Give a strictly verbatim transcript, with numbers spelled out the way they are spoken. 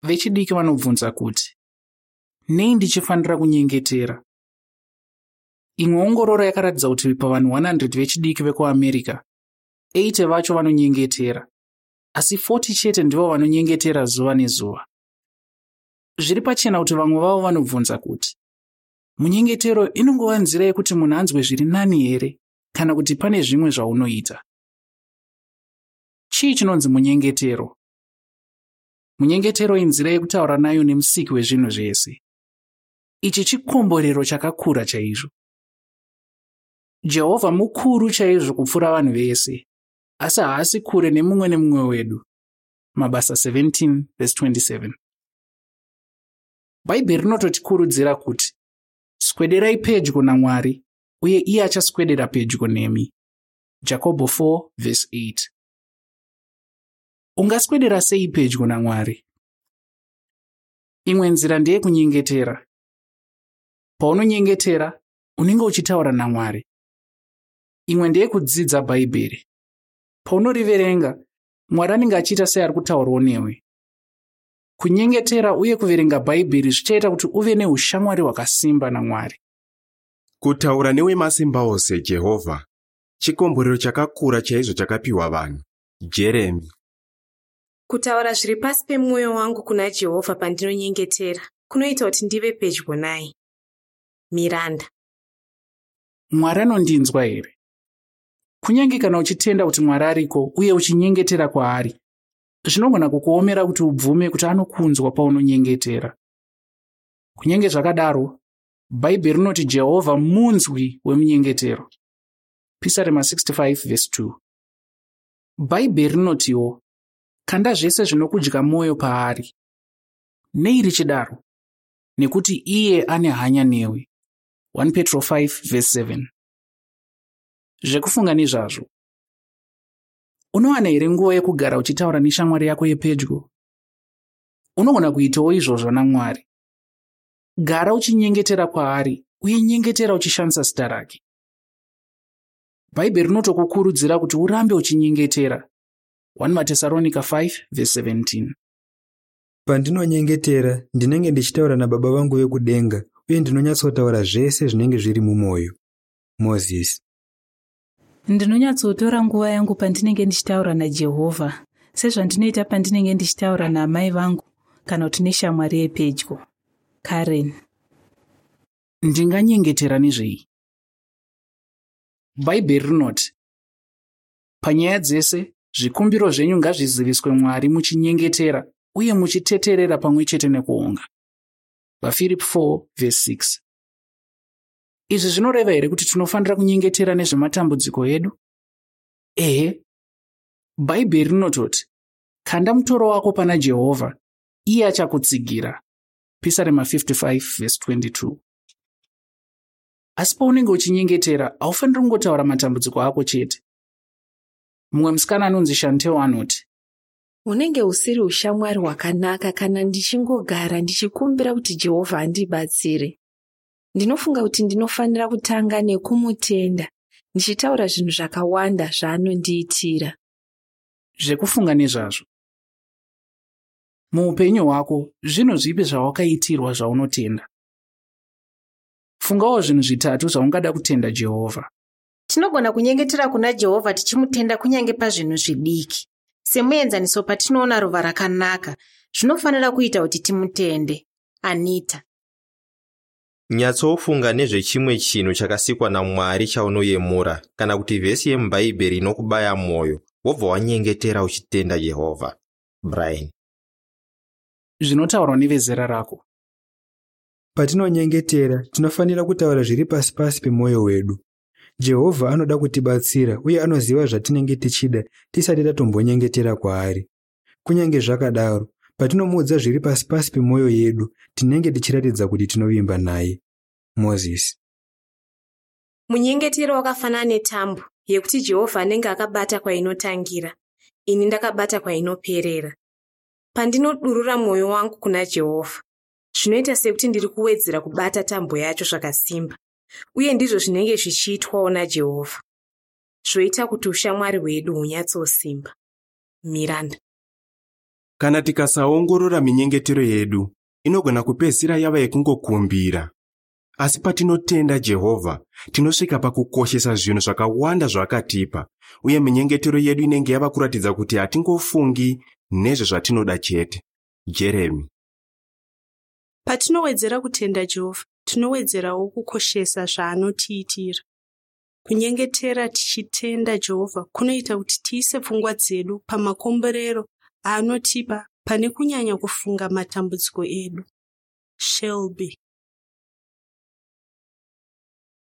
Vechidiki vanobvunza kuti, "Nei ndichifanira kunyengetera?" Imwe ongororo yakaratidza kuti pavanhu one hundred vechidiki vekuAmerica, eighty vacho vanonyengetera, asi forty chete ndivo vanonyengetera zuva nezuva. Zviri pachena kuti vamwe vavo vanobvunza kuti, "Munyengetero inongova nzira yekuti munhu anzwe zviri nani here, kana kuti pane zvimwe zvaunoita?" Chii chinonzi munyengetero? Munyengetero inzira yekutaura nayo neMusiki wezvinhu zvese. Ichi chikomborero chakakura chaizvo. Jehovha mukuru chaizvo kupfuura vanhu vese, asi haasi kure nemumwe nemumwe wedu. Mabasa seventeen twenty-seven. Bhaibheri rinototikurudzira kuti, "Swederai pedyo naMwari, uye iye achaswedera pedyo nemi." Jakobho four eight. Ungaswedera sei pedyo naMwari? Imwe nzira ndeyekunyengetera. Paunonyengetera, unenge uchitaura naMwari. Imwe ndeyekudzidza Bhaibheri. Paunoriverenga, Mwari anenge achiita seari kutaurawo newe. Kunyengetera uye kuverenga Bhaibheri zvichaita kuti uve neushamwari hwakasimba naMwari. Kutaura newemasimba ose Jehovha chikomborero chakakura chaizvo chakapiwa vanhu. Jeremy. Kutaura zviri pasi pemwoyo wangu kuna Jehovha pandinonyengetera kunoita kuti ndive pedyo naye. Miranda. Mwari anondinzwa here? Kunyange kana uchitenda kuti Mwari ariko uye uchinyengetera kwaari, zvinogona kukuomera kuti ubvume kuti anokunzwa paunonyengetera. Kunyange zvakadaro, Bhaibheri rinoti Jehovha munzwi wemunyengetero. Pisarema sixty-five two. Bhaibheri rinotiwo, "Kanda zvese zvinokudya mwoyo paari." Nei richidaro? Nekuti iye ane hanya newe. one Petro five seven. Zvekufunga nezvazvo: Unowana here nguva yekugara uchitaura neshamwari yako yepedyo? Unogona kuitawo izvozvo naMwari. Gara uchinyengetera kwaari, uye nyengetera uchishandisa zita rake. Bhaibheri rinotokukurudzira kuti urambe uchinyengetera. one Matesaronika five seventeen. Pandinonyengetera, ndinenge ndichitaura nababa vangu vekudenga uye ndinonyatsotaura zvese zvinenge zviri mumwoyo. Mozisi. Ndinonyatsotora nguva yangu pandinenge ndichitaura naJehovha, sezvandinoita pandinenge ndichitaura naamai vangu kana kuti neshamwari yepedyo. Karen. Ndinganyengetera nezvei? Bhaibheri rinoti, "Panyaya dzese zvikumbiro zvenyu ngazviziviswe Mwari muchinyengetera uye muchiteterera pamwe chete nekuonga." VaFiripi four six. Izvi zvinoreva here kuti tinofanira kunyengetera nezvematambudziko edu? Ehe. Bhaibheri rinototi, "Kanda mutoro wako pana Jehovha, iye achakutsigira." Pisarema fifty-five twenty-two. Asi paunenge uchinyengetera, haufaniri kungotaura matambudziko ako chete. Mumwe musikana anonzi Shantel anoti, Hunenge husiri ushamwari hwakanaka kana ndichingogara ndichikumbira kuti Jehovha andibatsire. Ndinofunga kuti ndinofanira kutanga nekumutenda, ndichitaura zvinhu zvakawanda zvaanondiitira. Zvekufunga nezvazvo: Muupenyu hwako, zvinhu zvipi zvawakaitirwa zvaunotenda? Fungawo zvinhu zvitatu zvaungada kutenda Jehovha. Tinogona kunyengetera kuna Jehovha tichimutenda kunyange pazvinhu zvidiki. Semuenzaniso, patinoona ruva rakanaka, zvinofanira kuita kuti timutende. Anita. Nyatsofunga nezvechimwe chinhu chakasikwa naMwari chaunoyemura, kana kuti vhesi yemuBhaibheri inokubaya mwoyo, wobva wanyengetera uchitenda Jehovha. Brian. Zvinotaurwa nevezera rako. Patinonyengetera, tinofanira kutaura zviri pasi pasi pemwoyo wedu. Jehovha anoda kutibatsira uye anoziva zvatinenge tichida tisati tatombonyengetera kwaari. Kunyange zvakadaro, patinomuudza zviri pasi pasi pemwoyo yedu, tinenge tichiratidza kuti tinovimba naye. Mozisi. Munyengetero wakafanana netambo yekuti Jehovha anenge akabata kwainotangira, ini ndakabata kwainoperera. Pandinodurura mwoyo wangu kuna Jehovha, zvinoita sekuti ndiri kuwedzera kubata tambo yacho zvakasimba, uye ndizvo zvinenge zvichiitwawo naJehovha. Zvoita kuti ushamwari hwedu hunyatsosimba. Miranda. Kana tikasaongorora minyengetero yedu, inogona kupedzisira yava yekungokumbira. Asi patinotenda Jehovha, tinosvika pakukoshesa zvinhu zvakawanda zvaakatipa, uye minyengetero yedu inenge yava kuratidza kuti hatingofungi nezvezvatinoda chete. Jeremy. Patinowedzera kutenda Jehovha, tinowedzerawo kukoshesa zvaanotiitira. Kunyengetera tichitenda Jehovha kunoita kuti tiise pfungwa dzedu pamakomborero aanotipa pane kunyanya kufunga matambudziko edu. Shelby.